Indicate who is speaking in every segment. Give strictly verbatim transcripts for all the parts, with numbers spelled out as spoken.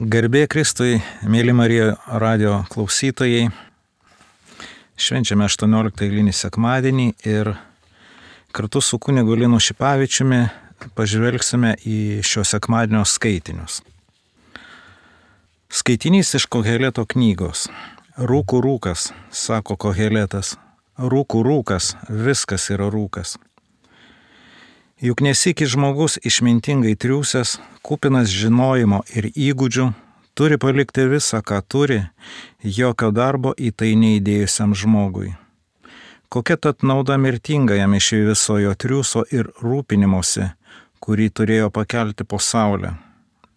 Speaker 1: Garbė Kristui, mėly Marijos radio klausytojai, švenčiame aštuonioliktą eilinį sekmadienį ir kartu su kunigu Linu Šipavičiumi pažvelgsime į šio sekmadienio skaitinius. Skaitinys iš Koheleto knygos. Rūkų rūkas, sako Koheletas. Rūkų rūkas, viskas yra rūkas. Juk nesiki žmogus išmintingai triūsęs, kupinas žinojimo ir įgūdžių, turi palikti visą, ką turi, jokio darbo į tai neįdėjusiam žmogui. Kokia tad nauda mirtinga jam iš viso jo triūso ir rūpinimosi, kurį turėjo pakelti po saulę?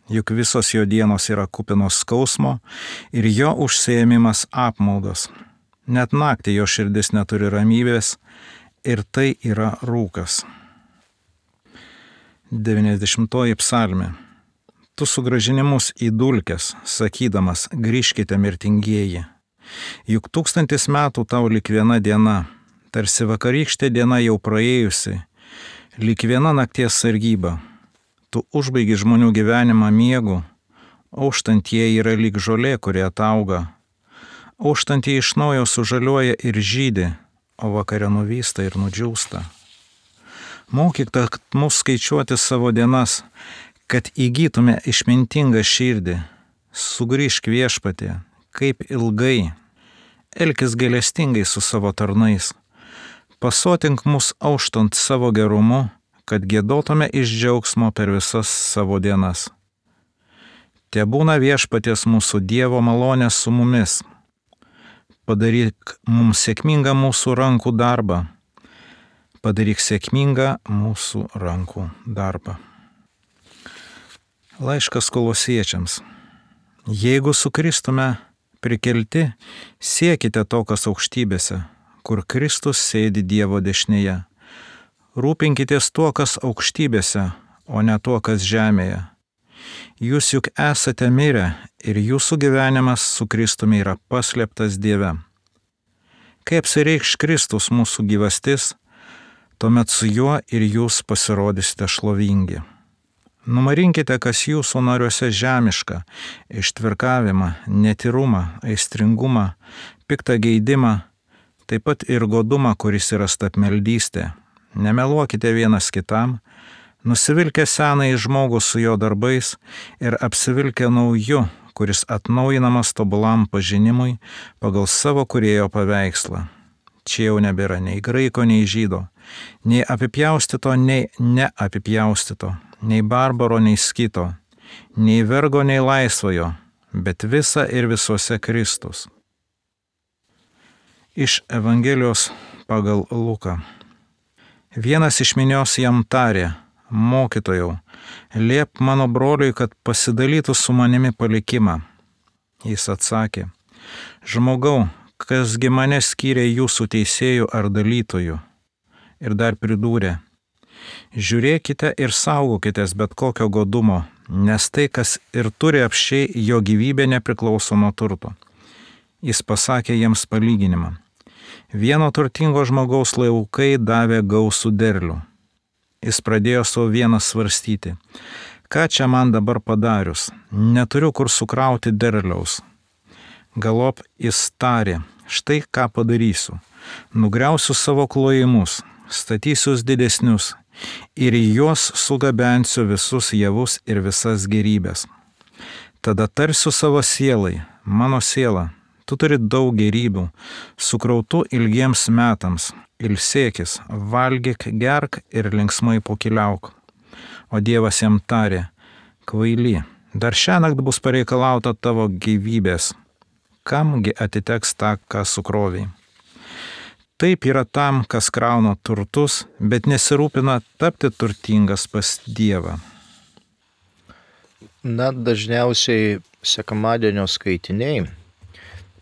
Speaker 1: Juk visos jo dienos yra kupinos skausmo ir jo užsiėmimas apmaudas. Net naktį jo širdis neturi ramybės ir tai yra rūkas. devyniasdešimtoji psalmė. Tu sugrąžini mus į dulkes, sakydamas, grįžkite mirtingieji. Juk tūkstantis metų tau lik viena diena, tarsi vakarykštė diena jau praėjusi, lik viena nakties sargyba. Tu užbaigi žmonių gyvenimą miegu, auštantieji yra lyg žolė, kurie atauga. Auštantieji iš naujo sužaliuoja ir žydi, o vakare nuvysta ir nudžiūsta. Mokyk mus skaičiuoti savo dienas, kad įgytume išmintingą širdį. Sugrįžk viešpatie, kaip ilgai, elkis gailestingai su savo tarnais. Pasotink mus auštant savo gerumu, kad giedotume iš džiaugsmo per visas savo dienas. Tebūna viešpaties mūsų Dievo malonė su mumis. Padaryk mums sėkmingą mūsų rankų darbą. Padaryk sėkmingą mūsų rankų darbą. Laiškas Kolosiečiams. Jeigu su Kristumi prikelti, siekite to, kas aukštybėse, kur Kristus sėdi Dievo dešinėje. Rūpinkitės tuo, kas aukštybėse, o ne tuo, kas žemėje. Jūs juk esate mirę ir jūsų gyvenimas su Kristumi yra paslėptas Dieve. Kai apsireikš Kristus mūsų gyvastis, tuomet su juo ir jūs pasirodysite šlovingi. Numarinkite, kas jūsų nariuose žemiška, ištvirkavimą, netyrumą, aistringumą, piktą geidimą, taip pat ir godumą, kuris yra stabmeldystė. Nemeluokite vienas kitam, nusivilkę senąjį žmogų su jo darbais ir apsivilkę nauju, kuris atnaujinamas tobulam pažinimui pagal savo kūrėjo paveikslą. Čia jau nebėra nei graiko, nei žydo, nei apipjaustyto, nei neapipjaustyto, nei barbaro, nei skito, nei vergo, nei laisvojo, bet visa ir visuose Kristus. Iš Evangelijos pagal Luką. Vienas iš minios jam tarė, mokytojau, liep mano broliui, kad pasidalytų su manimi palikimą. Jis atsakė, žmogau, kasgi mane skyrė jūsų teisėjų ar dalytojų. Ir dar pridūrė, žiūrėkite ir saugokitės bet kokio godumo, nes tai, kas ir turi apsčiai, jo gyvybė nepriklauso nuo turto. Jis pasakė jiems palyginimą. Vieno turtingo žmogaus laukai davė gausų derlių. Jis pradėjo savo vienas svarstyti, ką čia man dabar padarius, neturiu kur sukrauti derliaus. Galop jis tarė, štai ką padarysiu, nugriausiu savo klojimus, statysiu didesnius ir į juos sugabensiu visus javus ir visas gėrybės. Tada tarsiu savo sielai, mano siela, tu turi daug gėrybių, sukrautų ilgiems metams, ilsėkis, valgyk, gerk ir linksmai pokyliauk. O Dievas jam tarė, kvaily, dar šiąnakt bus pareikalauta tavo gyvybės. Kamgi atiteks tą, ką sukroviai. Taip yra tam, kas krauna turtus, bet nesirūpina tapti turtingas pas Dievą.
Speaker 2: Na, dažniausiai sekmadienio skaitiniai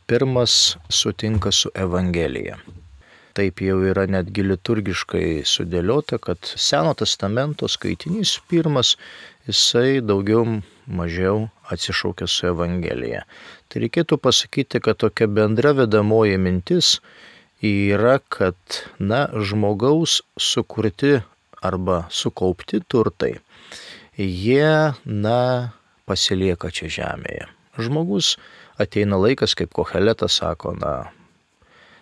Speaker 2: pirmas sutinka su Evangelija. Taip jau yra netgi liturgiškai sudėliota, kad Seno testamento skaitinys pirmas, jisai daugiau mažiau atsišaukia su Evangelija. Tai reikėtų pasakyti, kad tokia bendra vedamoji mintis yra, kad, na, žmogaus sukurti arba sukaupti turtai, jie, na, pasilieka čia žemėje. Žmogus ateina laikas, kaip Koheletas sako, na,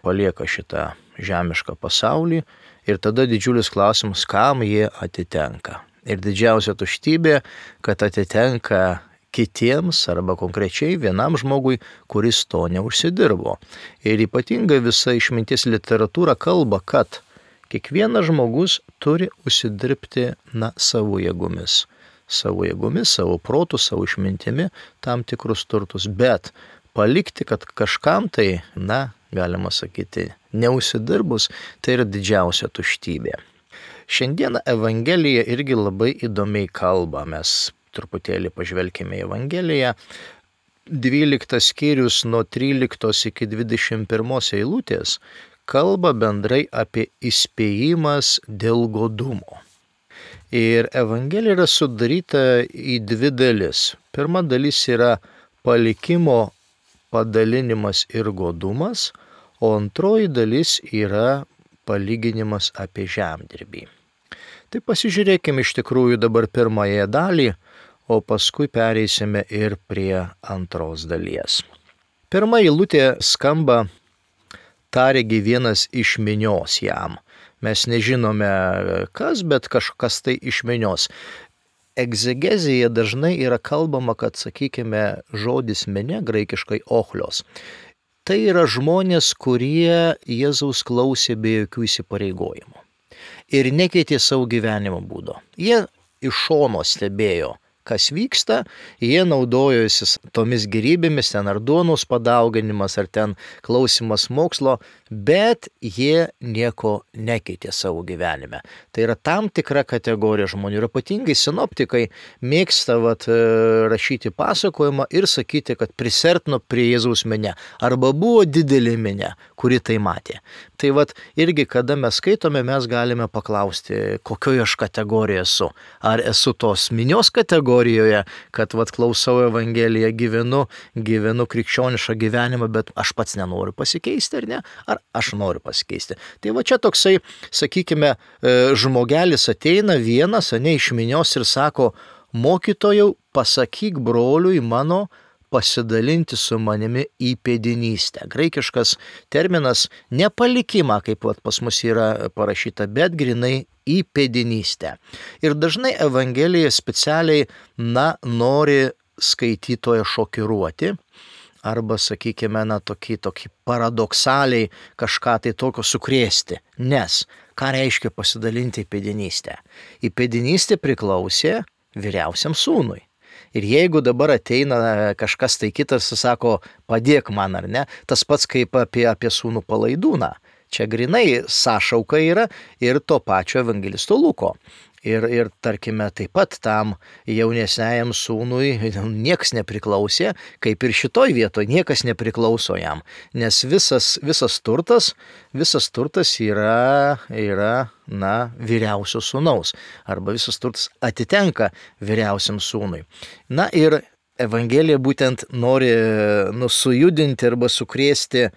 Speaker 2: palieka šitą žemišką pasaulį ir tada didžiulis klausimas, kam jie atitenka. Ir didžiausia tuštybė, kad atitenka kitiems arba konkrečiai vienam žmogui, kuris to neužsidirbo. Ir ypatingai visa išminties literatūra kalba, kad kiekvienas žmogus turi užsidirbti na, savo jėgomis. Savo jėgomis, savo protų, savo išmintimi tam tikrus turtus. Bet palikti, kad kažkam tai, na, galima sakyti, neužsidirbus, tai yra didžiausia tuštybė. Šiandieną Evangelija irgi labai įdomiai kalba. Mes truputėlį pažvelkime į Evangeliją. dvyliktas skyrius nuo tryliktos iki dvidešimt pirmos eilutės kalba bendrai apie įspėjimas dėl godumo. Ir Evangelija yra sudaryta į dvi dalis. Pirma dalis yra palikimo padalinimas ir godumas, o antroji dalis yra palyginimas apie žemdirbį. Tai pasižiūrėkime iš tikrųjų dabar pirmąją dalį, o paskui pereisime ir prie antros dalies. Pirma eilutė skamba tarėgi vienas iš minios jam. Mes nežinome kas, bet kažkas tai iš minios. Egzegezija dažnai yra kalbama, kad, sakykime, žodis minė, graikiškai ochlios. Tai yra žmonės, kurie Jėzaus klausė be jokių įsipareigojimų ir nekeitė savo gyvenimo būdo. Jie iš šono stebėjo, kas vyksta, jie naudojosi tomis gėrybėmis, ten ar duonos padauginimas, ar ten klausimas mokslo, bet jie nieko nekeitė savo gyvenime. Tai yra tam tikra kategorija žmonių. Ir ypatingai sinoptikai mėgsta vat, rašyti pasakojimą ir sakyti, kad prisertino prie Jėzaus minia. Arba buvo didelė minia, kuri tai matė. Tai vat irgi, kada mes skaitome, mes galime paklausti, kokioje aš kategorijoje esu. Ar esu tos minios kategorijoje, kad vat, klausau Evangeliją, gyvenu, gyvenu krikščionišką gyvenimą, bet aš pats nenoriu pasikeisti, ar ne? Ar aš noriu pasikeisti. Tai va čia toksai, sakykime, žmogelis ateina vienas, ne iš minios ir sako, mokytojau, pasakyk broliui mano pasidalinti su manimi įpėdinystę. Graikiškas terminas ne palikimą, kaip vat, pas mus yra parašyta, bet grinai įpėdinystę. Ir dažnai Evangelija specialiai, na, nori skaitytoją šokiruoti, arba, sakykime, na, tokį, tokį paradoksaliai kažką tai tokio sukrėsti. Nes, ką reiškia pasidalinti įpėdinystę? Įpėdinystė priklausė vyriausiam sūnui. Ir jeigu dabar ateina kažkas tai kitas ir sako, padėk man ar ne, tas pats kaip apie, apie sūnų palaidūną. Čia grinai sąšauka yra ir to pačio evangelisto Luko. Ir, ir tarkime, taip pat tam jaunesniajam sūnui niekas nepriklausė, kaip ir šitoj vietoje niekas nepriklauso jam. Nes visas, visas turtas, visas turtas yra, yra na, vyriausio sūnaus. Arba visas turtas atitenka vyriausiam sūnui. Na ir Evangelija būtent nori nu, sujudinti arba sukrėsti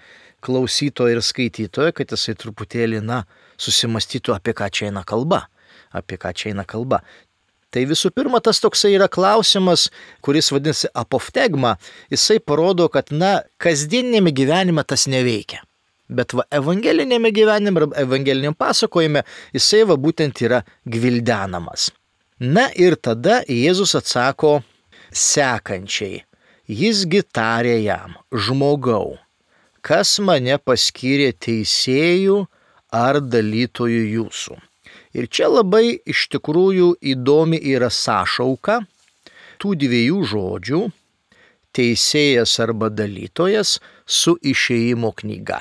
Speaker 2: klausytoją ir skaitytoją, kad jisai truputėlį, na, susimastytų, apie ką čia eina kalba. apie ką čia eina kalba. Tai visų pirma, tas toksai yra klausimas, kuris vadinasi apoftegma, jisai parodo, kad, na, kasdieninėme gyvenime tas neveikia. Bet va, evangelinėme gyvenime, evangeliniam pasakojime, jisai va būtent yra gvildenamas. Na ir tada Jėzus atsako sekančiai. Jisgi tarė jam, žmogau, kas mane paskyrė teisėjų ar dalytojų jūsų. Ir čia labai iš tikrųjų įdomi yra sąšauka tų dviejų žodžių teisėjas arba dalytojas su išėjimo knyga.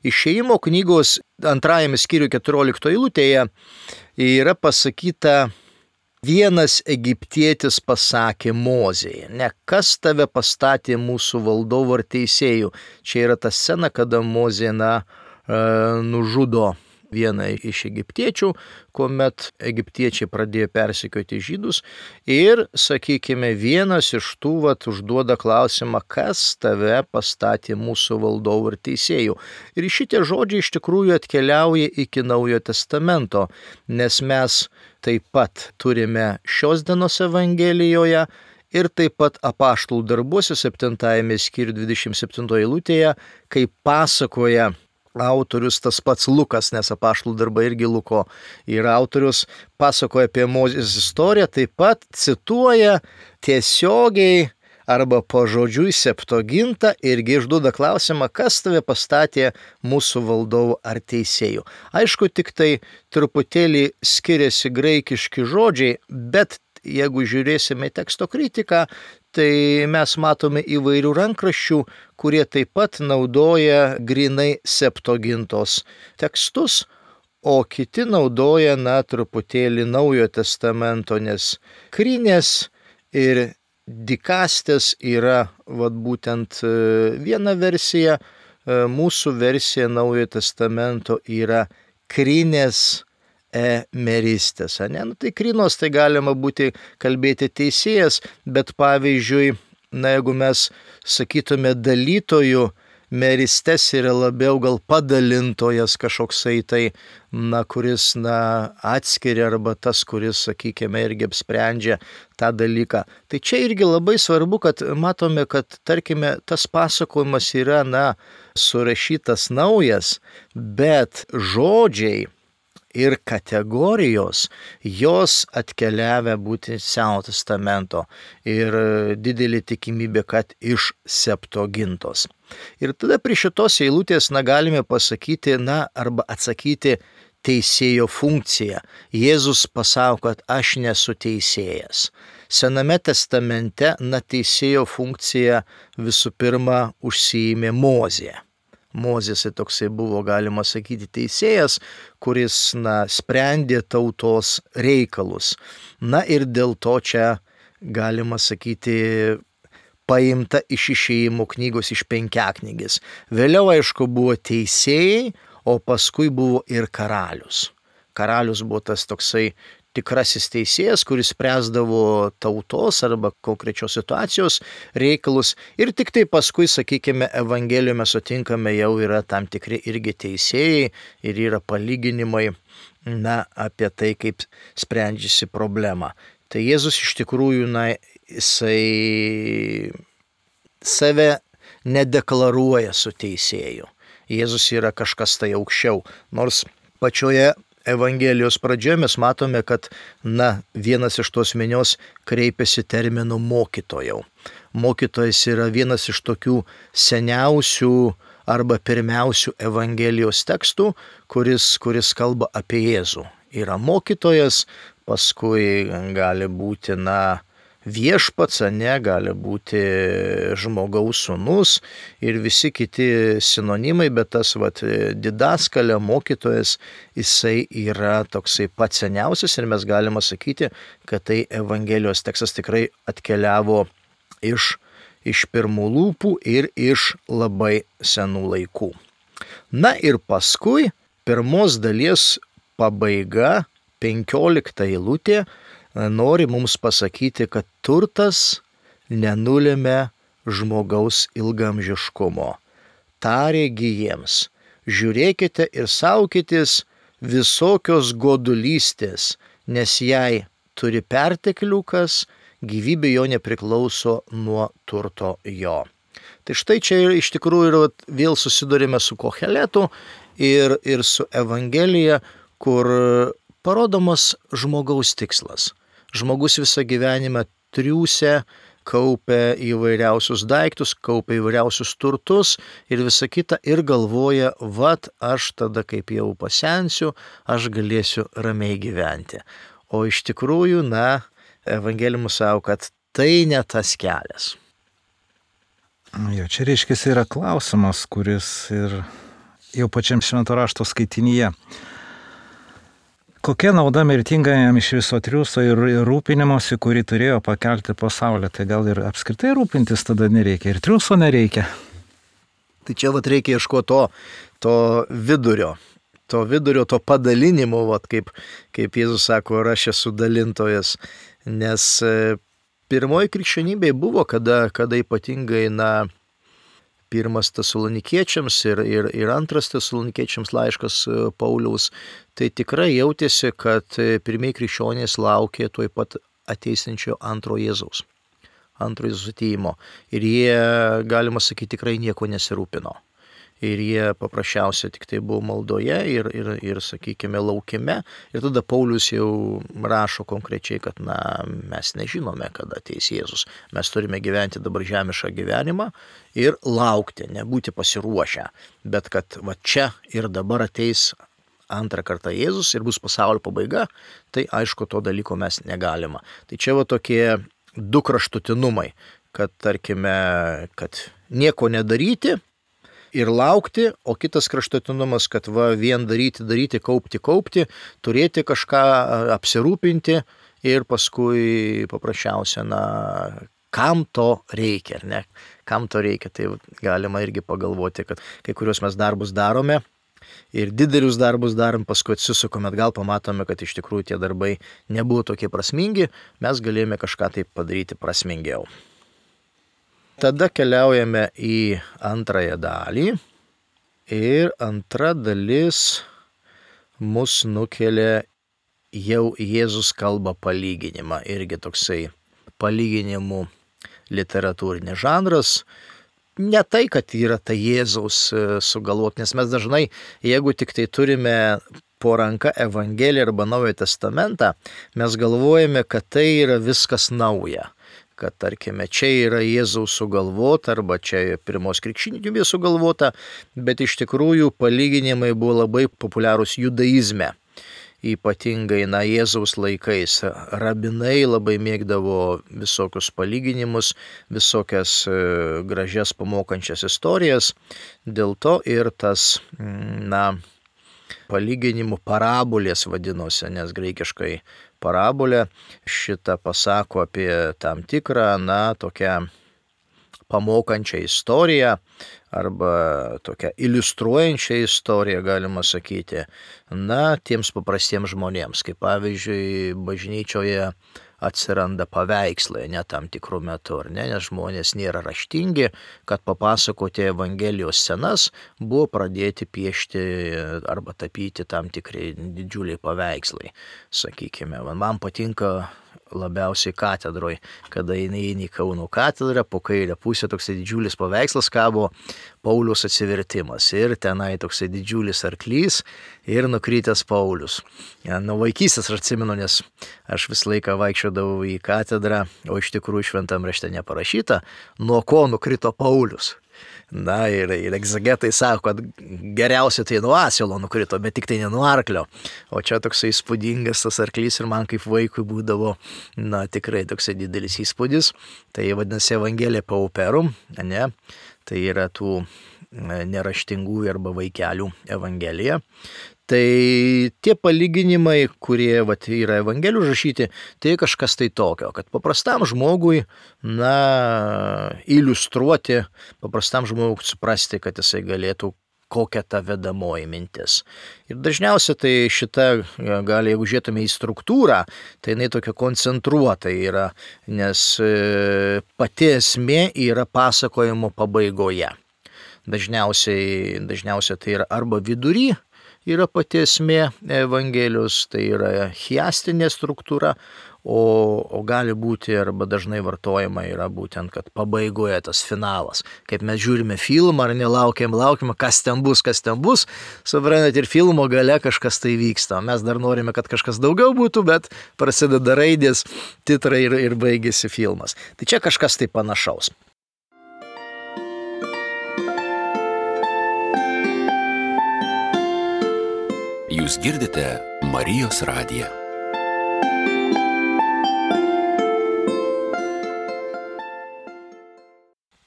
Speaker 2: Išėjimo knygos antrajame skyriuje keturioliktoje eilutėje yra pasakyta, vienas egiptietis pasakė Mozei, ne kas tave pastatė mūsų valdovu ar teisėjų. Čia yra ta scena, kada Mozė na, nužudo vieną iš egiptiečių, kuomet egiptiečiai pradėjo persekioti žydus ir, sakykime, vienas iš tų vat, užduoda klausimą, kas tave pastatė mūsų valdovų ir teisėjų. Ir šitie žodžiai iš tikrųjų atkeliauja iki Naujojo testamento, nes mes taip pat turime šios dienos Evangelijoje ir taip pat Apaštalų darbuose septintajame skyriuje dvidešimt septintoje eilutėje, kai pasakoja autorius tas pats Lukas, nes Apaštalų darbai irgi Luko yra autorius, pasakoja apie Mozės istoriją, taip pat cituoja tiesiogiai arba pažodžiui Septuagintą irgi išduoda klausimą, kas tave pastatė mūsų valdovu ar teisėju. Aišku, tik tai truputėlį skiriasi graikiški žodžiai, bet jeigu žiūrėsime į teksto kritiką, tai mes matome įvairių rankraščių, kurie taip pat naudoja grinai Septuagintos tekstus, o kiti naudoja, na, truputėlį Naujojo testamento, nes Krinės ir Dikastės yra, vat būtent viena versija, mūsų versija Naujojo testamento yra Krinės emeristės. Ne? Nu, tai krinos tai galima būti kalbėti teisėjas, bet pavyzdžiui, na, jeigu mes sakytume dalytojų, meristės yra labiau gal padalintojas kažkoksai tai, na, kuris, na, atskiria arba tas, kuris, sakykime, irgi apsprendžia tą dalyką. Tai čia irgi labai svarbu, kad matome, kad, tarkime, tas pasakojimas yra, na, surašytas naujas, bet žodžiai ir kategorijos, jos atkeliavę būti Senojo testamento ir didelė tikimybė, kad iš Septuagintos. Ir tada prie šitos eilutės, na, galime pasakyti, na, arba atsakyti teisėjo funkciją. Jėzus pasako, kad aš nesu teisėjas. Sename testamente, na, teisėjo funkciją visų pirma užsiėmė Mozė. Mozės toksai buvo, galima sakyti, teisėjas, kuris, na, sprendė tautos reikalus. Na ir dėl to čia, galima sakyti, paimta iš Išėjimo knygos, iš Penkiaknygės. Vėliau, aišku, buvo teisėjai, o paskui buvo ir karalius. Karalius buvo tas toksai tikrasis teisėjas, kuris spręsdavo tautos arba konkrečios situacijos reikalus. Ir tik tai paskui, sakykime, Evangelijoje mes sutinkame, jau yra tam tikri irgi teisėjai ir yra palyginimai, na, apie tai, kaip sprendžiasi problema. Tai Jėzus iš tikrųjų, na, jisai save nedeklaruoja su teisėju. Jėzus yra kažkas tai aukščiau, nors pačioje Evangelijos pradžioje mes matome, kad, na, vienas iš tos minios kreipiasi terminu mokytojau. Mokytojas yra vienas iš tokių seniausių arba pirmiausių Evangelijos tekstų, kuris, kuris kalba apie Jėzų. Yra mokytojas, paskui gali būti, na, viešpats, ne, gali būti žmogaus sūnus ir visi kiti sinonimai, bet tas, vat, didaskalė, mokytojas, jisai yra toksai pats seniausias ir mes galime sakyti, kad tai Evangelijos tekstas tikrai atkeliavo iš, iš pirmų lūpų ir iš labai senų laikų. Na ir paskui pirmos dalies pabaiga, penkiolikta eilutė, nori mums pasakyti, kad turtas nenulėmė žmogaus ilgamžiškumo. Tarė gi jiems, žiūrėkite ir saukitės visokios godulystės, nes jei turi pertekliukas, gyvybė jo nepriklauso nuo turto jo. Tai štai čia iš tikrųjų ir vėl susidurime su Koheletu ir, ir su Evangelija, kur parodomas žmogaus tikslas. Žmogus visą gyvenimą triūsia, kaupia įvairiausius daiktus, kaupia įvairiausius turtus ir visa kita ir galvoja, vat aš tada kaip jau pasensiu, aš galėsiu ramiai gyventi. O iš tikrųjų, na, Evangelijoje sako, kad tai ne tas kelias.
Speaker 1: Jo, čia reiškia yra klausimas, kuris ir jau pačiam Švento rašto skaitinyje. Kokia nauda mirtingajam iš viso triūso ir rūpinimosi, kurį turėjo pakelti pasaulį? Tai gal ir apskritai rūpintis tada nereikia, ir triūso nereikia.
Speaker 2: Tai čia vat reikia ieškoti to, to vidurio, to vidurio, to padalinimo, vat kaip, kaip Jėzus sako, ir aš esu dalintojas. Nes pirmoji krikščionybė buvo, kada, kada ypatingai, na, pirmas Tesalonikiečiams ir, ir, ir antras Tesalonikiečiams laiškas Pauliaus, tai tikrai jautėsi, kad pirmieji krikščionys laukė tuoj pat ateisinčio antro Jėzaus. antrojo Jėzaus atėjimo. Ir jie, galima sakyti, tikrai nieko nesirūpino. Ir jie paprasčiausiai tik tai buvo maldoje ir, ir, ir, sakykime, laukime. Ir tada Paulius jau rašo konkrečiai, kad na, mes nežinome, kada ateis Jėzus. Mes turime gyventi dabar žemišką gyvenimą ir laukti, nebūti pasiruošę. Bet kad va čia ir dabar ateis antrą kartą Jėzus ir bus pasaulio pabaiga, tai aišku, to dalyko mes negalima. Tai čia va tokie du kraštutinumai, kad tarkime, kad nieko nedaryti ir laukti, o kitas kraštutinumas, kad va vien daryti, daryti, kaupti, kaupti, turėti kažką, apsirūpinti ir paskui paprasčiausia, na, kam to reikia, ar ne? Kam to reikia, tai galima irgi pagalvoti, kad kai kuriuos mes darbus darome ir didelius darbus darom, paskui atsisukome atgal, pamatome, kad iš tikrųjų tie darbai nebuvo tokie prasmingi, mes galėjome kažką tai padaryti prasmingiau. Tada keliaujame į antrąją dalį ir antra dalis mus nukelia jau Jėzus kalba palyginimą, irgi toksai palyginimų literatūrinis žanras. Ne tai, kad yra ta Jėzaus sugalvot, nes mes dažnai, jeigu tik tai turime po ranka Evangeliją arba Naują Testamentą, mes galvojame, kad tai yra viskas nauja. Kad, tarkime, čia yra Jėzaus sugalvota arba čia pirmos krikščionybės sugalvota, bet iš tikrųjų palyginimai buvo labai populiarūs judaizme. Ypatingai, na, Jėzaus laikais rabinai labai mėgdavo visokius palyginimus, visokias gražias pamokančias istorijas. Dėl to ir tas, na, palyginimų parabolės vadinosi, nes graikiškai parabolė šitą pasako apie tam tikrą, na, tokią pamokančią istoriją arba tokią iliustruojančią istoriją, galima sakyti, na, tiems paprastiems žmonėms, kaip pavyzdžiui, bažnyčioje atsiranda paveikslai, ne tam tikrų metų, ar ne, nes žmonės nėra raštingi, kad papasakoti Evangelijos scenas, buvo pradėti piešti arba tapyti tam tikrai didžiuliai paveikslai, sakykime. Man patinka labiausiai katedroje, kada eini į Kauno katedrą, po kairę pusę toksai didžiulis paveikslas kabo Pauliaus atsivertimas ir tenai toksai didžiulis arklys ir nukritęs Paulius. Ja, nuo vaikystės aš atsimenu, nes aš visą laiką vaikščiodavau į katedrą, o iš tikrųjų šventam rašte neparašyta, nuo ko nukrito Paulius. Na ir, ir egzegetai sako, kad geriausia tai nuo asilo nukrito, bet tik tai ne nuo arklio. O čia toksai įspūdingas tas arklys ir man kaip vaikui būdavo, na, tikrai toksai didelis įspūdis. Tai vadinasi Evangelija pauperum, ne? Tai yra tų neraštingųjų arba vaikelių Evangelija. Tai tie palyginimai, kurie vat, yra Evangelijų užrašyti, tai kažkas tai tokio, kad paprastam žmogui, na, iliustruoti, paprastam žmogui suprasti, kad jisai galėtų kokia ta vedamoji mintis. Ir dažniausiai tai šita, gali, jeigu žiūrėtume į struktūrą, tai jinai tokia koncentruota yra, nes pati esmė yra pasakojimo pabaigoje. Dažniausiai, dažniausiai tai yra arba vidury, yra pati esmė Evangelijos, tai yra chiastinė struktūra, o, o gali būti arba dažnai vartojama yra būtent, kad pabaigoje tas finalas. Kaip mes žiūrime filmą ar nelaukiam, laukiam, kas ten bus, kas ten bus, suprantat, ir filmo gale kažkas tai vyksta. Mes dar norime, kad kažkas daugiau būtų, bet prasideda raidės, titrai ir, ir baigėsi filmas. Tai čia kažkas tai panašaus.
Speaker 3: Jūs girdite Marijos radiją.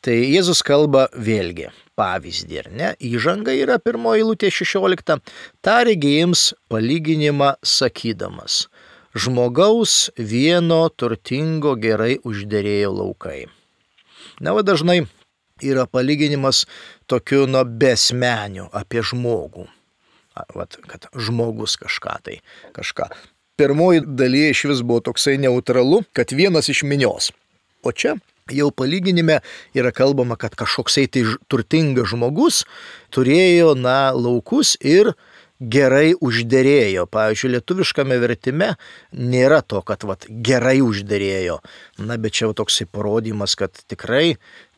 Speaker 2: Tai Jėzus kalba vėlgi pavyzdį, ar ne? Įžanga yra pirmoji eilutė šešiolikta. Tarė jiems palyginimą sakydamas: žmogaus vieno turtingo gerai užderėjo laukai. Na, va dažnai yra palyginimas tokiu, nu, besmeniu apie žmogų. Vat, kad žmogus kažką tai, kažką. Pirmoji dalyje iš vis buvo toksai neutralu, kad vienas iš minios. O čia jau palyginime yra kalbama, kad kažkoksai tai turtingas žmogus turėjo, na, laukus ir gerai užderėjo. Pavyzdžiui, lietuviškame vertime nėra to, kad vat, gerai užderėjo. Na, bet čia jau toksai parodymas, kad tikrai,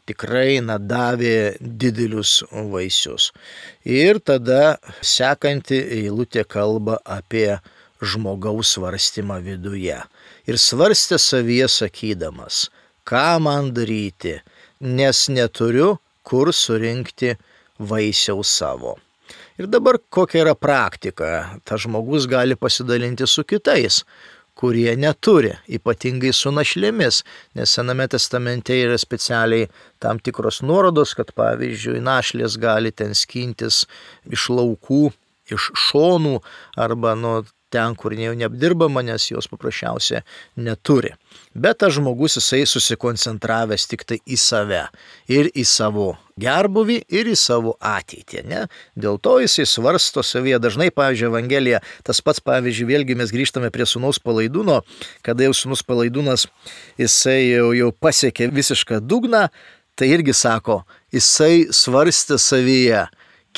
Speaker 2: tikrai na, davė didelius vaisius. Ir tada sekanti eilutė kalba apie žmogaus svarstymą viduje. Ir svarstė savyje sakydamas, ką man daryti, nes neturiu kur surinkti vaisiaus savo. Ir dabar kokia yra praktika? Tas žmogus gali pasidalinti su kitais, kurie neturi, ypatingai su našlėmis, nes Sename testamente yra specialiai tam tikros nuorodos, kad pavyzdžiui našlės gali ten skintis iš laukų, iš šonų arba nuo ten, kur jau neapdirbama, nes jos paprasčiausiai neturi. Bet tas žmogus jisai susikoncentravęs tik tai į save ir į savo gerbuvį ir į savo ateitį. Ne? Dėl to jisai svarsto savyje. Dažnai, pavyzdžiui, Evangelija, tas pats, pavyzdžiui, vėlgi mes grįžtame prie sūnaus palaidūno, kada jau sūnus palaidūnas jisai jau, jau pasiekė visišką dugną, tai irgi sako, jisai svarstė savyje,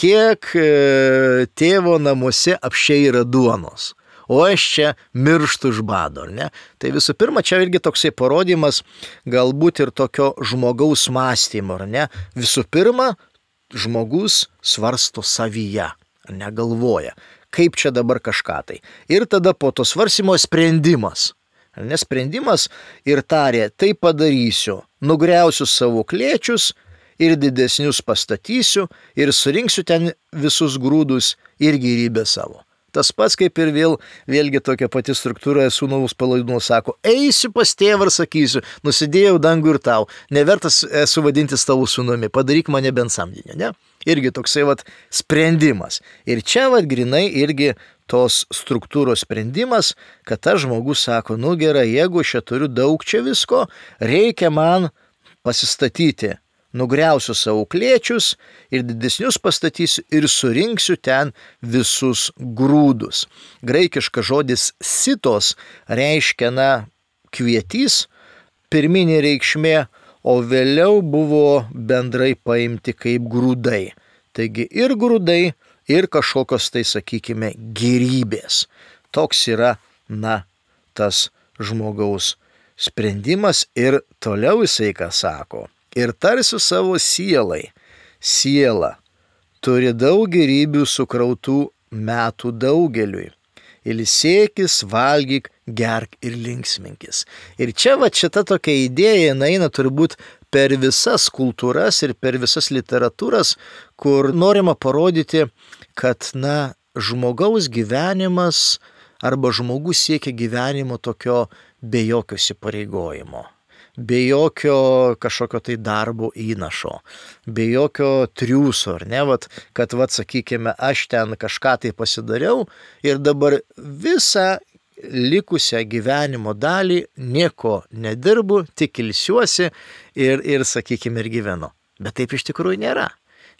Speaker 2: kiek e, tėvo namuose apsčiai yra duonos. O aš čia mirštu iš bado, ar ne? Tai visų pirma, čia irgi toksai parodymas galbūt ir tokio žmogaus mąstymo, ar ne? Visų pirma, žmogus svarsto savyje, ar ne, galvoja, kaip čia dabar kažką tai. Ir tada po to svarstymo sprendimas. Ar ne, sprendimas ir tarė, tai padarysiu, nugriausiu savo klėčius ir didesnius pastatysiu ir surinksiu ten visus grūdus ir gyvybę savo. Tas pats kaip ir vėl, vėlgi tokia pati struktūra, sūnaus palaidūno sako, eisiu pas tėvą ir sakysiu, nusidėjau dangų ir tau, nevertas esu vadintis tavo sūnumi, padaryk mane bent samdinę, ne? Irgi toksai vat sprendimas. Ir čia vat grinai irgi tos struktūros sprendimas, kad tas žmogus sako, nu gerai, jeigu aš turiu daug čia visko, reikia man pasistatyti. Nugriausiu savo klėčius ir didesnius pastatysiu ir surinksiu ten visus grūdus. Graikiškas žodis sitos reiškia, na, kvietys, pirminė reikšmė, o vėliau buvo bendrai paimti kaip grūdai. Taigi ir grūdai, ir kažkokios tai, sakykime, gėrybės. Toks yra, na, tas žmogaus sprendimas ir toliau jisai ką sako. Ir tarsiu savo sielai, siela turi daug gėrybių sukrautų metų daugeliui. Ilsėkis, valgyk, gerk ir linksminkis. Ir čia va šita tokia idėja, jinai eina turbūt per visas kultūras ir per visas literatūras, kur norima parodyti, kad, na, žmogaus gyvenimas arba žmogus siekia gyvenimo tokio be jokio įsipareigojimo. Be jokio kažkokio tai darbo įnašo, be jokio triūso, ar ne, vat, kad, vat, sakykime, aš ten kažką tai pasidariau ir dabar visą likusią gyvenimo dalį nieko nedirbu, tik ilsiuosi ir, ir sakykime, ir gyvenu. Bet taip iš tikrųjų nėra.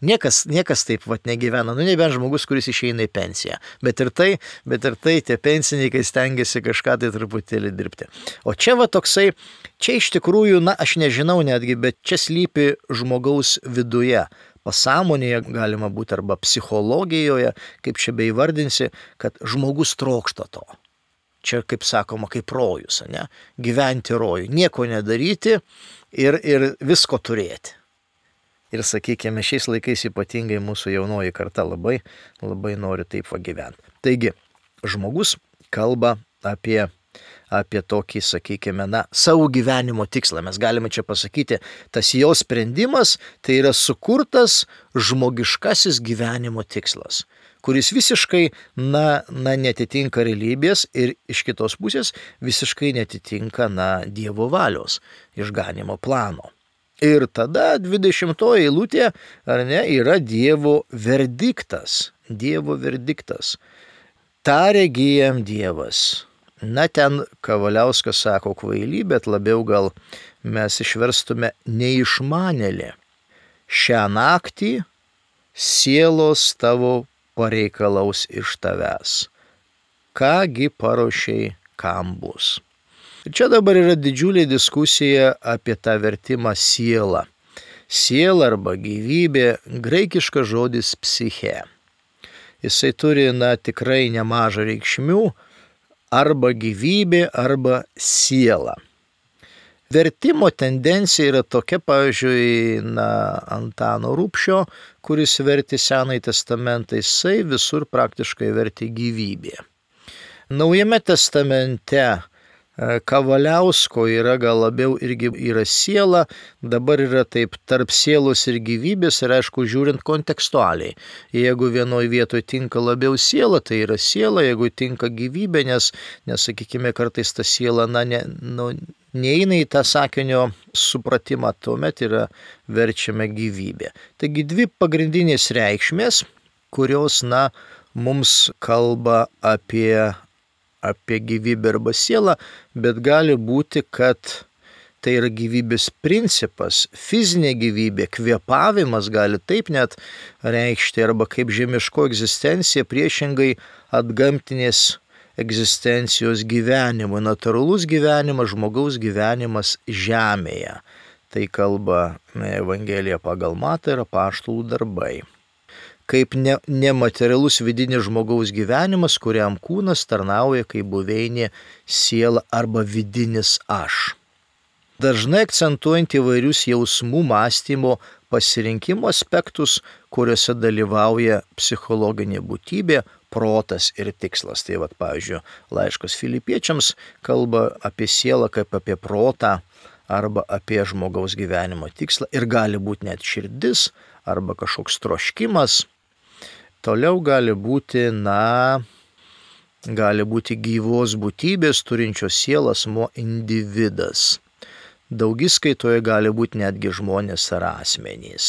Speaker 2: Niekas, niekas taip vat negyvena, nu nebent žmogus, kuris išeina į pensiją. Bet ir tai, bet ir tai tie pensininkai stengiasi kažką tai truputėlį dirbti. O čia va toksai, čia iš tikrųjų, na aš nežinau netgi, bet čia slypi žmogaus viduje. Pasąmonėje galima būti arba psichologijoje, kaip čia beįvardinsi, kad žmogus trokšta to. Čia, kaip sakoma, kaip rojus, ne? Gyventi rojų, nieko nedaryti ir, ir visko turėti. Ir sakykime, šiais laikais ypatingai mūsų jaunoji karta labai, labai nori taip va gyventi. Taigi, žmogus kalba apie, apie tokį, sakykime, na, savo gyvenimo tikslą. Mes galime čia pasakyti, tas jo sprendimas, tai yra sukurtas žmogiškasis gyvenimo tikslas, kuris visiškai, na, na netitinka realybės ir iš kitos pusės visiškai netitinka, na, Dievo valios išganimo plano. Ir tada dvidešimtoji eilutė, ar ne, yra Dievo verdiktas. Dievo verdiktas. Tarė jam Dievas. Na, ten Kavaliauskas sako kvailį, bet labiau gal mes išverstume neišmanėlė. Šią naktį sielos tavo pareikalaus iš tavęs. Kągi paruošei, kam bus. Ir čia dabar yra didžiulė diskusija apie tą vertimą siela. Siela arba gyvybė, graikiškas žodis psiche. jisai turi, na, tikrai nemažą reikšmių, arba gyvybė, arba siela. Vertimo tendencija yra tokia, pavyzdžiui, na, Antano Rubšio, kuris vertė Senąjį testamentą, jisai visur praktiškai vertė gyvybė. Naujame testamente Kavaliausko yra gal labiau irgi yra siela, dabar yra taip tarp sielos ir gyvybės ir aišku žiūrint kontekstualiai. Jeigu vienoje vietoje tinka labiau siela, tai yra siela, jeigu tinka gyvybė, nes, nes sakykime, kartais ta siela, na, ne, nu, neina į tą sakinio supratimą, tuomet yra verčiama gyvybė. Taigi dvi pagrindinės reikšmės, kurios, na, mums kalba apie apie gyvybę arba sielą, bet gali būti, kad tai yra gyvybės principas, fizinė gyvybė, kvėpavimas gali taip net reikšti, arba kaip žemiško egzistencija priešingai atgamtinės egzistencijos gyvenimui, natūralus gyvenimas, žmogaus gyvenimas žemėje. Tai kalba Evangelija pagal Matą ir apaštalų darbai. Kaip ne, nematerialus vidinis žmogaus gyvenimas, kuriam kūnas tarnauja kaip buveinė siela arba vidinis aš. Dažnai akcentuojant įvairius jausmų, mąstymo, pasirinkimo aspektus, kuriuose dalyvauja psichologinė būtybė, protas ir tikslas. Tai vat, pavyzdžiui, laiškas Filipiečiams kalba apie sielą kaip apie protą arba apie žmogaus gyvenimo tikslą ir gali būti net širdis arba kažkoks troškimas. Toliau gali būti, na, gali būti gyvos būtybės turinčios sielą asmuo individas. Daugiskaitoje gali būti netgi žmonės ar asmenys.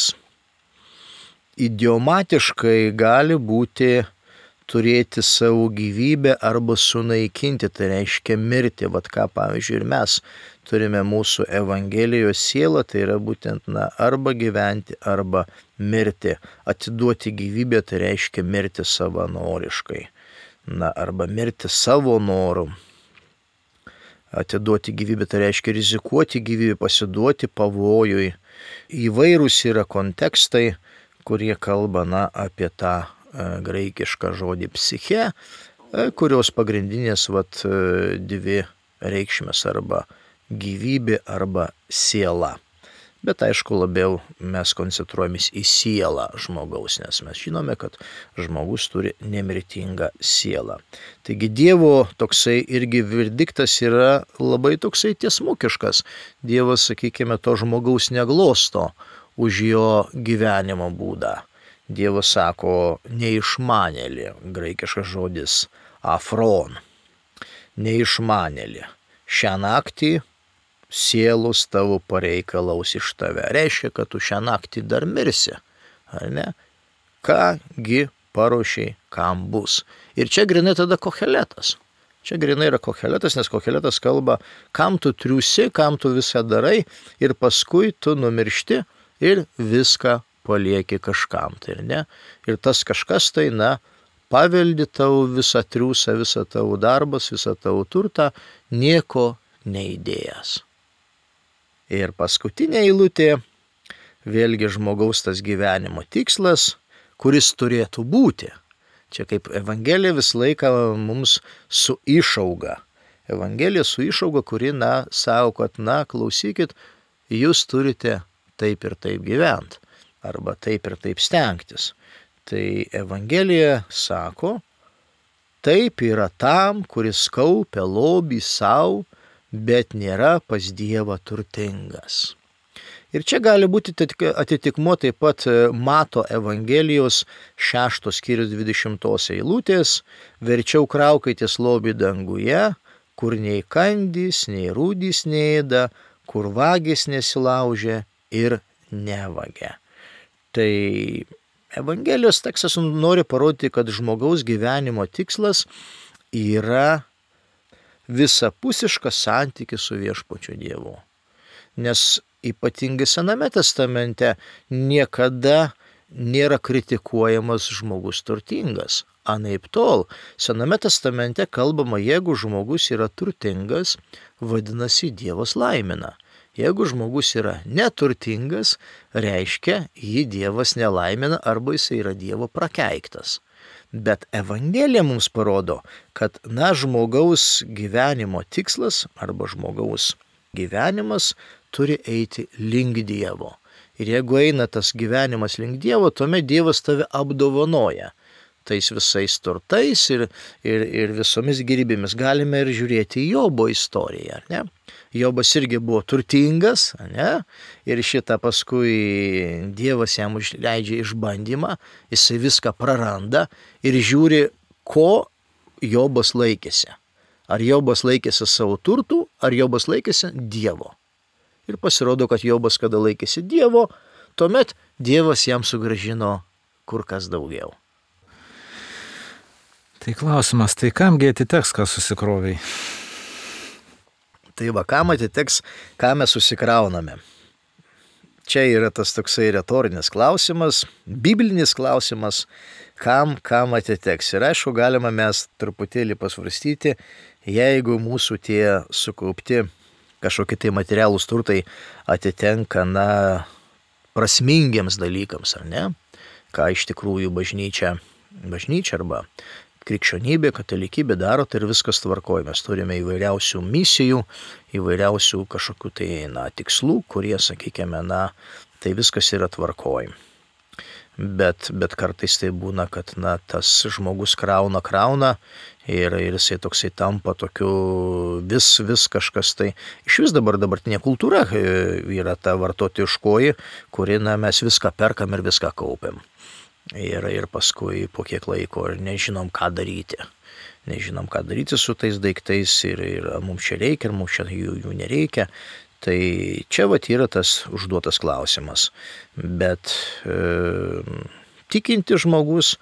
Speaker 2: Idiomatiškai gali būti turėti savo gyvybę arba sunaikinti, tai reiškia mirti. Vat ką, pavyzdžiui, ir mes turime mūsų Evangelijos sielą, tai yra būtent, na, arba gyventi, arba mirti. Atiduoti gyvybę, tai reiškia mirti savanoriškai. Na, arba mirti savo noru. Atiduoti gyvybę, tai reiškia rizikuoti gyvybę, pasiduoti pavojui. Įvairūs yra kontekstai, kurie kalba, na, apie tą e, graikišką žodį psiche, e, kurios pagrindinės vat, e, dvi reikšmės arba gyvybė arba siela. Bet aišku, labiau mes koncentruojamės į sielą žmogaus, nes mes žinome, kad žmogus turi nemirtingą sielą. Taigi Dievo toksai irgi verdiktas yra labai toksai tiesmukiškas. Dievas, sakykime, to žmogaus neglosto už jo gyvenimo būdą. Dievas sako neišmanėlį, graikiškas žodis afron, neišmanėlį. Šią naktį sielos tavo pareikalaus iš tave. Reiškia, kad tu šią naktį dar mirsi, ar ne? Kągi paruošiai, kam bus. Ir čia grinai tada Koheletas. Čia grinai yra Koheletas, nes Koheletas kalba, kam tu triūsi, kam tu viską darai ir paskui tu numiršti ir viską palieki kažkam. Tai ir ne? Ir tas kažkas tai, na, paveldi tavo visą triūsą, visą tavo darbas, visą tavo turtą, nieko neįdėjęs. Ir paskutinė eilutė, vėlgi žmogaus tas gyvenimo tikslas, kuris turėtų būti. Čia kaip Evangelija visą laiką mums su išauga. Evangelija su išauga, kuri, na, savo, kad, na, klausykit, jūs turite taip ir taip gyventi, arba taip ir taip stengtis. Tai Evangelija sako, taip yra tam, kuris kaupia lobį savo, bet nėra pas Dievą turtingas. Ir čia gali būti atitikmuo taip pat Mato Evangelijos šeštos skyrius dvidešimtos eilutės, verčiau kraukitės lobį danguje, kur nei kandys, nei rūdys neėda, kur vagis nesilaužia ir nevagia. Tai Evangelijos tekstas nori parodyti, kad žmogaus gyvenimo tikslas yra visapusiškas santykis su viešpačiu Dievu. Nes ypatingai Sename testamente niekada nėra kritikuojamas žmogus turtingas. Anaip tol, Sename testamente kalbama, jeigu žmogus yra turtingas, vadinasi Dievas laimina. Jeigu žmogus yra neturtingas, reiškia, jį Dievas nelaimina arba jis yra Dievo prakeiktas. Bet Evangelija mums parodo, kad, na, žmogaus gyvenimo tikslas arba žmogaus gyvenimas turi eiti link Dievo. Ir jeigu eina tas gyvenimas link Dievo, tuomet Dievas tave apdovanoja tais visais turtais ir, ir, ir visomis gėrybėmis. Galime ir žiūrėti į Jobo istoriją, ne? Jobas irgi buvo turtingas, ne? Ir šitą paskui Dievas jam leidžia išbandymą, jisai viską praranda ir žiūri, ko Jobas laikėsi. Ar Jobas laikėsi savo turtų, ar Jobas laikėsi Dievo. Ir pasirodo, kad Jobas, kada laikėsi Dievo, tuomet Dievas jam sugrąžino kur kas daugiau.
Speaker 1: Tai klausimas, tai kamgi atiteks, ką susikroviai?
Speaker 2: Tai va, kam atiteks, ką mes susikrauname? Čia yra tas toksai retorinis klausimas, biblinis klausimas, kam, kam atiteks. Ir aišku, galima mes truputėlį pasvarstyti, jeigu mūsų tie sukaupti kažkokie tai materialūs turtai atitenka, na, prasmingiems dalykams, ar ne? Ką iš tikrųjų bažnyčia, bažnyčia arba krikščionybė, katalikybė daro, tai ir viskas tvarkoja. Mes turime įvairiausių misijų, įvairiausių kažkokių tai, na, tikslų, kurie, sakykime, na, tai viskas yra tvarkoja. Bet, bet kartais tai būna, kad, na, tas žmogus krauna, krauna ir, ir jisai toksai tampa tokiu vis, vis kažkas tai. Iš vis dabar dabartinė kultūra yra ta vartotojiškoji, kuri, na, mes viską perkam ir viską kaupiam. Ir, ir paskui po kiek laiko nežinom, ką daryti. Nežinom, ką daryti su tais daiktais ir, ir mums čia reikia, ir mums čia jų, jų nereikia. Tai čia vat yra tas užduotas klausimas. Bet e, tikinti žmogus,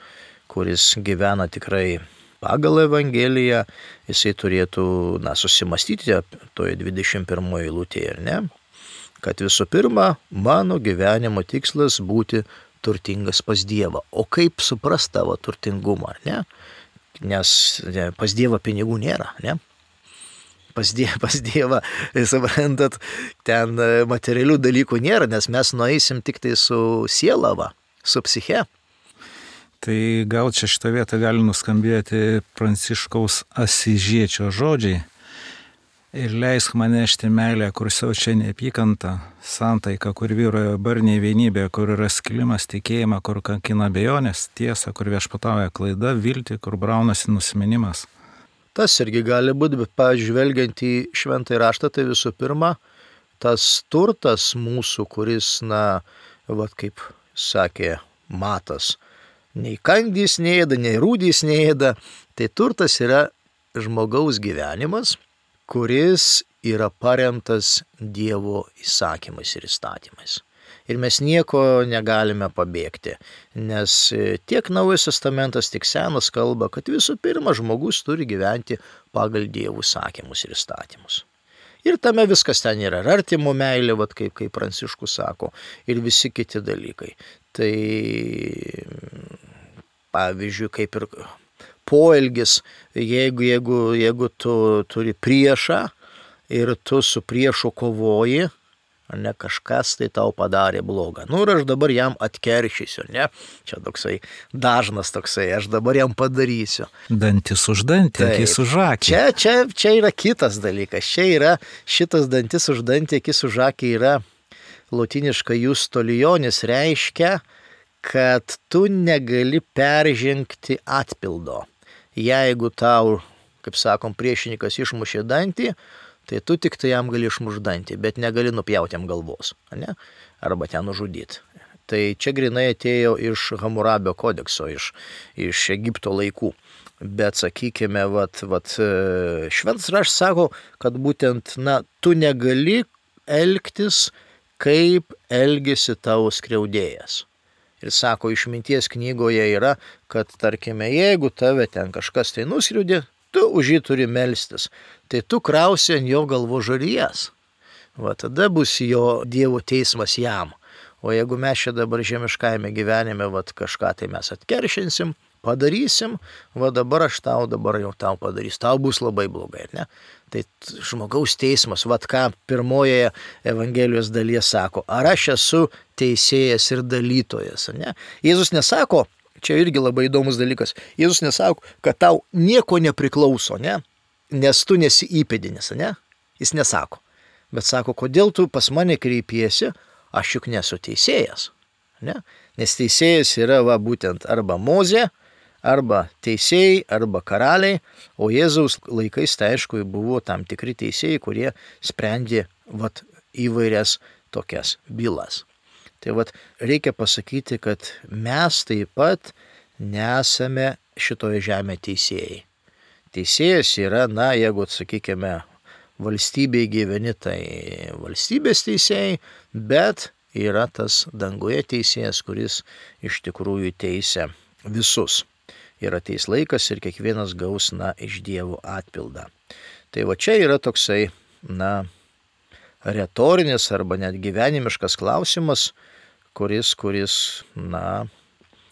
Speaker 2: kuris gyvena tikrai pagal Evangeliją, jisai turėtų, na, susimastyti toje dvidešimt pirmoje eilutėje, ar ne? Kad visų pirma, mano gyvenimo tikslas būti turtingas pas Dievą. O kaip suprast tavo turtingumą, ar ne? Nes ne, pas Dievą pinigų nėra, ne? Pas Dievą, pas Dievą, suprantat, ten materialių dalykų nėra, nes mes nueisim tik tai su siela, va, su psiche.
Speaker 1: Tai gal čia šitą vietą gali nuskambėti Pranciškaus Asyžiečio žodžiai. Ir leisk man nešti meilę, kur siaučia neapykanta, santaiką, kur vyroja barniai vienybė, kur yra skilimas, tikėjimą, kur kankina abejonės, tiesa, kur viešpatauja klaida, viltį, kur braunasi nusiminimas.
Speaker 2: Tas irgi gali būti, bet pažvelgiant į šventąjį raštą, tai visų pirma, tas turtas mūsų, kuris, na, vat kaip sakė Matas, nei kandys neėda, nei rūdys neėda, tai turtas yra žmogaus gyvenimas, kuris yra paremtas Dievo įsakymais ir įstatymais. Ir mes nieko negalime pabėgti, nes tiek Naujas testamentas, tiek Senas kalba, kad visų pirma žmogus turi gyventi pagal Dievo įsakymus ir įstatymus. Ir tame viskas ten yra, ir artimo meilė, vat kaip, kaip Pranciškus sako, ir visi kiti dalykai. Tai, pavyzdžiui, kaip ir poelgis, jeigu, jeigu, jeigu tu turi priešą ir tu su priešu kovoji, ne, kažkas tai tau padarė blogą. Nu ir aš dabar jam atkeršysiu, ne? Čia toksai dažnas toksai, aš dabar jam padarysiu.
Speaker 1: Dantis už dantį, akis už akį.
Speaker 2: Čia, čia, čia yra kitas dalykas. Čia yra šitas dantis už dantį, akis už akį yra lotyniška justolionis, reiškia, kad tu negali peržengti atpildo. Jeigu tau, kaip sakom, priešininkas išmušė dantį, tai tu tik tai jam gali išmušti dantį, bet negali nupjauti jam galvos, ne? Arba ten nužudyti. Tai čia grinai atėjo iš Hamurabio kodekso, iš, iš Egipto laikų. Bet sakykime, vat, vat, šventas raštas sako, kad būtent, na, tu negali elgtis, kaip elgėsi tavo skriaudėjas. Ir sako, išminties knygoje yra, kad, tarkime, jeigu tave ten kažkas tai nuskriaudė, tu už jį turi melstis. Tai tu krausi ant jo galvo žarijas. Va tada bus jo Dievo teismas jam. O jeigu mes čia dabar žemiškajame gyvenime, va kažką tai mes atkeršinsim, padarysim, va dabar aš tau, dabar jau tau padarys, tau bus labai blogai, ne? Tai žmogaus teismas, va ką pirmojoje Evangelijos dalyje sako, ar aš esu teisėjas ir dalytojas, ne? Jėzus nesako, Čia irgi labai įdomus dalykas. Jėzus nesako, kad tau nieko nepriklauso, ne? Nes tu nesi įpėdinis, ne? Jis nesako. Bet sako, kodėl tu pas mane kreipiesi, aš juk nesu teisėjas, ne? Nes teisėjas yra va būtent arba Mozė, arba teisėjai, arba karaliai, o Jėzaus laikais tai aišku buvo tam tikri teisėjai, kurie sprendė vat įvairias tokias bylas. Tai vat reikia pasakyti, kad mes taip pat nesame šitoje žemėje teisėjai. Teisėjas yra, na, jeigu, sakykime, valstybėje gyveni, tai valstybės teisėjai, bet yra tas danguje teisėjas, kuris iš tikrųjų teisia visus. Ir ateis laikas ir kiekvienas gaus, na, iš Dievo atpildą. Tai va čia yra toksai, na, retorinis arba net gyvenimiškas klausimas, kuris, kuris, na,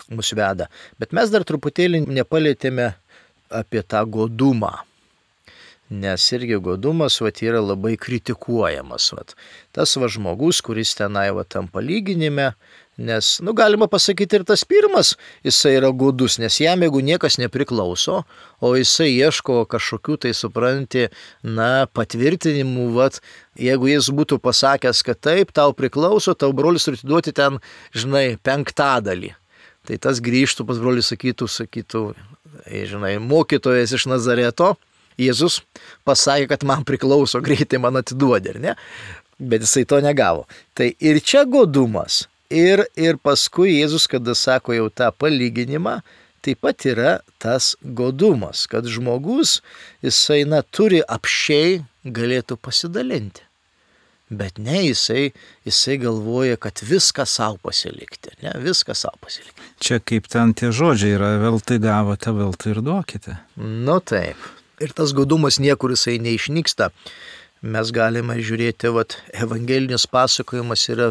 Speaker 2: mus veda. Bet mes dar truputėlį nepalėtėme apie tą godumą. Nes irgi godumas vat, yra labai kritikuojamas. Vat. Tas va žmogus, kuris tenai va, tam palyginime, nes, nu, galima pasakyti ir tas pirmas, jisai yra godus, nes jam jeigu niekas nepriklauso, o jisai ieško kažkokių tai, supranti, na, patvirtinimų, vat, jeigu jis būtų pasakęs, kad taip, tau priklauso, tau brolis turi duoti ten, žinai, penktadalį. Tai tas grįžtų pas brolį, sakytų, sakytų, žinai, mokytojas iš Nazareto, Jėzus pasakė, kad man priklauso, greitai man atiduodė, ar ne? Bet jisai to negavo. Tai ir čia godumas, ir, ir paskui Jėzus, kada sako jau tą palyginimą, taip pat yra tas godumas, kad žmogus, jisai, na, turi apsčiai galėtų pasidalinti. Bet ne, jisai, jisai galvoja, kad viską savo pasilikti, ne, viską savo pasilikti.
Speaker 1: Čia kaip ten tie žodžiai yra, veltui gavote, veltui ir duokite.
Speaker 2: Nu taip. Ir tas godumas niekur jisai neišnyksta. Mes galime žiūrėti, vat, evangelinis pasakojimas yra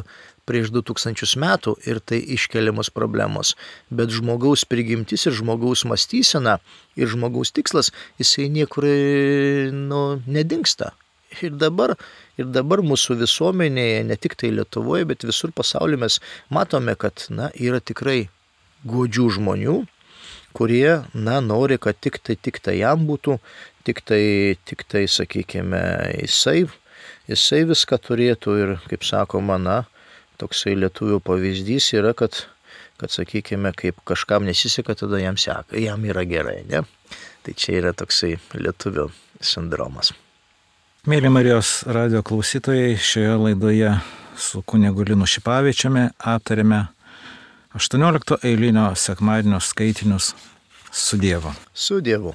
Speaker 2: prieš du tūkstančius metų ir tai iškeliamos problemos. Bet žmogaus prigimtis ir žmogaus mąstysena ir žmogaus tikslas, jisai niekur, nu, nedingsta. Ir dabar, ir dabar mūsų visuomenėje, ne tik tai Lietuvoje, bet visur pasaulyje mes matome, kad, na, yra tikrai godžių žmonių, kurie, na, nori, kad tik tai, tik tai jam būtų, tik tai, tik tai, sakykime, jisai, jisai viską turėtų ir, kaip sakoma, na, toksai lietuvių pavyzdys yra, kad, kad, sakykime, kaip kažkam nesiseka, tada jam seka, jam yra gerai, ne? Tai čia yra toksai lietuvių sindromas.
Speaker 1: Mėly Marijos radijo klausytojai, šioje laidoje su kunigu Linu Šipavičiumi aptarėme aštuoniolikto eilinio sekmadienio skaitinius su Dievu.
Speaker 2: Su Dievu.